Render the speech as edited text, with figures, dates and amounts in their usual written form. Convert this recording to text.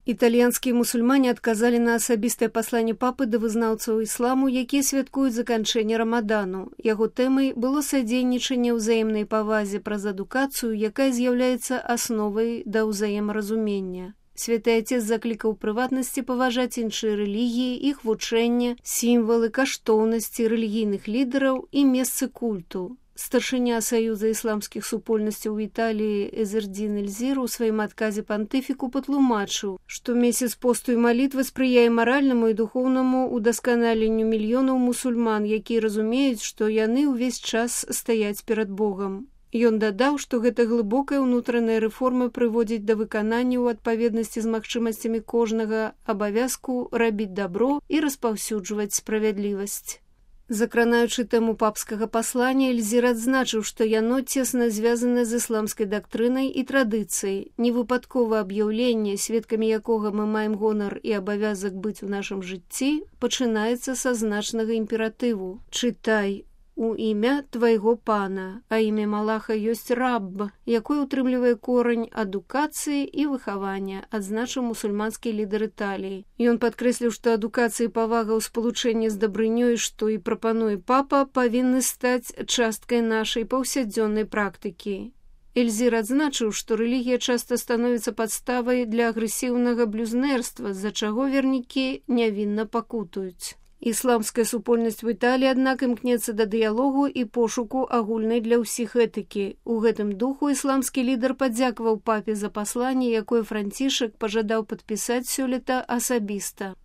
Італьянскія мусульмане адказалі на асабістае пасланне папы да вызнаўцаў ісламу, якія святкуюць заканчэнне рамадану. Яго тэмай было садзейнічанне ўзаемнай павазе праз адукацыю, якая з'яўляецца асновай да ўзаемаразумення. Святы Отец заклікаў прыватнасці паважаць іншыя рэлігіі, іх вучэнне, сімвалы, каштоўнасці рэлігійных лідараў і месцы культу. Старшыня Саюза ісламскіх супольнасцяў у Італіі Эзердзін Эльзір у сваім адказе пантыфіку патлумачыў, што месяц посту і малітвы спрыяе маральнаму і духоўнаму удасканаленню мільёнаў мусульман, якія разумеюць, што яны ўвесь час стаяць перад Богам. Ён дадаў, што гэта глыбокая ўнутраная рэформа прыводзіць да выканання ў адпаведнасці з магчымасцямі кожнага абавязку рабіць дабро і распаўсюджваць справядлівасць. Закранаючы тэму папскага паслання, Эльзір адзначыў, што яно цесна звязана з ісламскай дактрынай і традыцыяй. Невыпадкова аб'яўленне, сведкамі якога мы маем гонар і абавязак быць у нашым жыцці, пачынаецца са значнага імператыву. Чытай у імя твайго пана, а імя Малаха ёсць рабб, якой утрымлівае корань адукацыі і выхавання, адзначыў мусульманскі лідар Італіі. Ён падкрэсліў, што адукацыя і павага ў спалучэнні з дабрынёй, што і прапануе папа, павінны стаць часткай нашай паўсядзённай практыкі. Эльзір адзначыў, што рэлігія часта становіцца падставай для агрэсіўнага блюзнерства, з-за чаго вернікі нявінна пакутуюць. Ісламская супольнасць у Італіі, аднак, імкнецца да дыялогу і пошуку агульнай для ўсіх этыкі. У гэтым духу ісламскі лідар падзякаваў папе за пасланне, якое Францішак пажадаў падпісаць сёлета асабіста.